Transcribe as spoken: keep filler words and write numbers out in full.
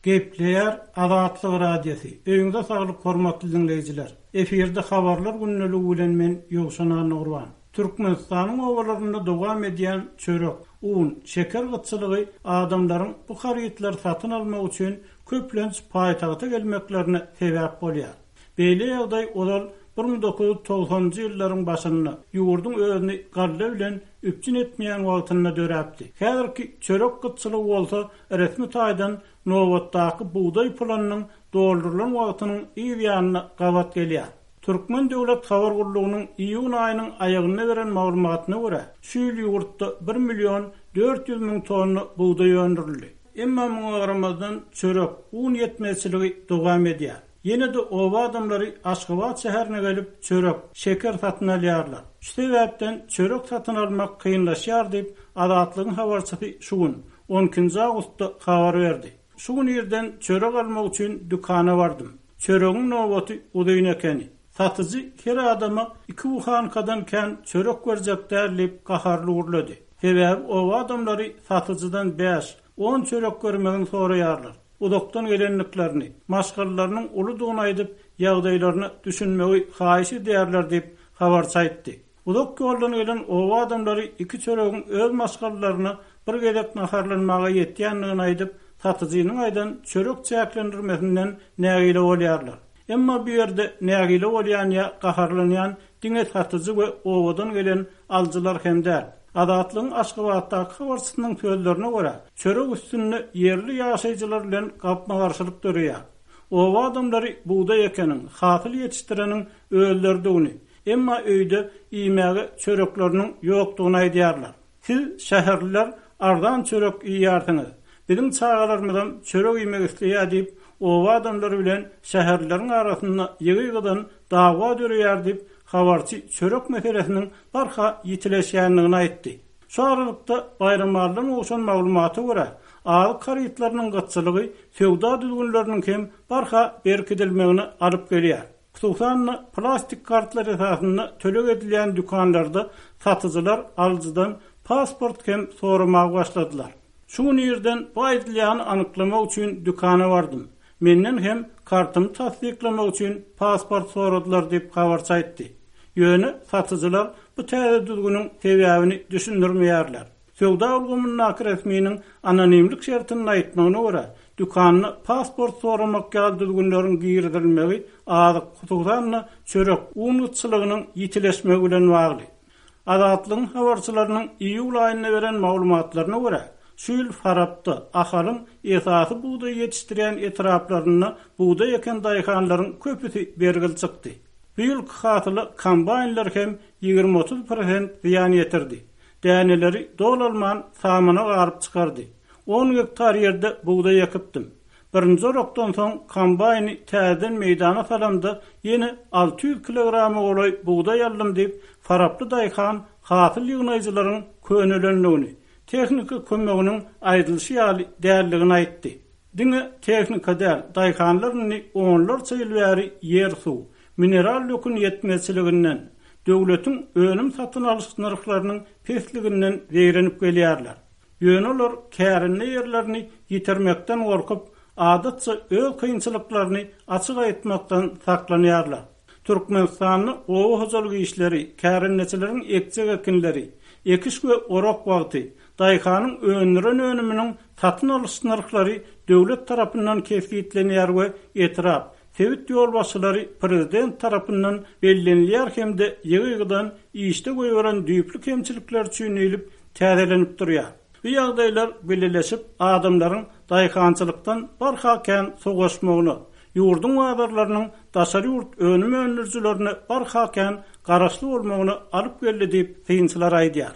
Gepleýär Azatlyk Radiosy. Öýüňize saglyk hormatly dinleýjiler. Efirde habarlar gündeligi bilen men Ýowşan Annagurban. Türkmenistanyň obalarynda dowam edýän çörek, un, şeker gytçylygy adamlaryň bu harytlary satyn almak üçin köplenç paýtagta gelmeklerine sebäp bolýar. Beýle ýagdaý ozal bir müň dokuz ýüz togsanynjy ýyllaryň başynda ýurduň özüni galla bilen üpjün etmeýän wagtynda döräpdi. Häzirki çörek gytçylygy bolsa resmi taýdan nobatdaky bugdaý planynyň doldurylan wagtynyň yz ýanyna gabat gelýär. Türkmen döwlet habar gullugynyň iýun aýynyň aýagynda beren maglumatyna görä, şu ýyl ýurtda bir million dört ýüz müň tonna bugdaý öndürildi. Emma muňa garamazdan çörek, un ýetmezçiligi dowam edýär. Ýene-de oba adamlary Aşgabat şäherine gelip çörek, şeker satyn alýarlar. Şu sebäpden çörek satyn almak kynlaşýar diýip, Azatlygyň habarçysy şu gün, on ikinji awgustda habar berdi. Şu gün irden çörek almak üçin dükana bardym. Çöregiň nobaty uzyn ekeni. Satyjy her adama iki buhankadan kän çörek berjek däl diýip gaharly gürledi. Sebäbi oba adamlary satyjydan bäş, on çörek bermegini soraýarlar. Uzakdan gelenliklerini, maşgalalarynyň uludygyny aýdyp, ýagdaýlaryny düşünmegi haýyş edýärler diýip habarçy aýtdy. Uzak ýoldan gelen oba adamlary iki çöregiň öz maşgalalaryna bir gezek naharlanmaga ýetýändigini aýdyp, satyjynyň aýdan çörek çäklendirmesinden nägile bolýarlar. Emma bu ýerde nägile bolýan ýa gaharlanýan diňe satyjy we obadan gelen alyjylar hem däl. Azatlygyň Aşgabatdaky habarçysynyň sözlerine görä, çörek üstünde ýerli ýaşaýjylar bilen gapma-garşylyk döreýär. Oba adamlary bugdaý ekeniň, hasyl ýetişdireniň özleridigini, emma öýde iýmäge çörekleriniň ýokdugyny aýdýarlar. Siz şäherliler arzan çörek iýýärsiňiz. Biziň çagalarymyzam çörek iýmek isleýär diýip, oba adamlary bilen şäherlileriň arasynda ýygy-ýygydan dawa döreýär diýip, habarçy çörek meselesiniň barha ýitileşýändigini aýtdy. Şu aralykda Baýramalydan gowşan maglumata görä, azyk harytlarynyň gytçylygy söwda düzgünleriniň hem barha berkidilmegine alyp gelýär. Hususan-da plastik kartlar esasynda töleg edilýän dükanlarda satyjylar alyjydan pasport hem soramaga başladylar. Şu gün irden bu aýdylýany anyklamak üçin dükana bardym. Menden hem kartymy tassyklamak üçin pasport soradylar diýip habarçy aýtdy. Ýöne satyjylar bu täze düzgüniň sebäbini düşündirmeýärler. Söwda ulgamyndaky resminiň anonimlik şertini aýtmagyna görä, dükanda pasport soramak ýaly düzgünleriň girizilmegi azyk, hususan-da çörek, un gytçylygynyň ýitileşmegi bilen bagly. Azatlygyň habarçylarynyň iýul aýynda beren maglumatlaryna görä, şu ýyl Farapda, Ahalyň esasy bugdaý ýetişdirýän etraplarynda bugdaý eken daýhanlaryň köpüsi bergil çykdy. Bu ýylky hasyla kombaýnlar hem ýigrimi otuz prosent zyýan ýetirdi. Däneleri dolalman samana garyp çykardy. On gektar ýerde bugdaý ekipdim. Birinji orakdan soň kombaýny täzeden meýdana salamda ýene alty ýüz kilograma golaý bugdaý aldym diýip, Faraply daýhan hasyl ýygnaýjylaryň könelendigini, tehnika kömeginiň aýdylyşy ýaly däldigini aýtdy. Diňe tehnika däl, daýhanlar indi onlarça ýyl bäri ýer suw, mineral dökün ýetmezçiliginden, döwletiň önüm satyn alyş nyrhlarynyň pesliginden zeýrenip gelýärler. Ýöne olar kärende ýerlerini ýitirmekden gorkup, adatça öz kynçylyklaryny açyk aýtmakdan saklanýarlar. Türkmenistanda oba hojalyk işleri, kärendeçileriň ekjek ekinleri, ekiş we orak wagty, daýhanyň öndüren önüminiň satyn alyş nyrhlary döwlet tarapyndan kesgitlenýär we etrap, sebit ýolbaşçylary prezident tarapyndan bellenilýär hem-de ýygy-ýygydan işde goýberen düýpli kemçilikler üçin diýlip täzelenip durýar. Bu ýagdaýlar bileleşip adamlaryň daýhançylykdan barha kän sowaşmagyna, ýurduň bazarlarynyň daşary ýurt önüm öndürijilerine barha kän garaşly bolmagyna alyp geldi diýip synçylar aýdýar.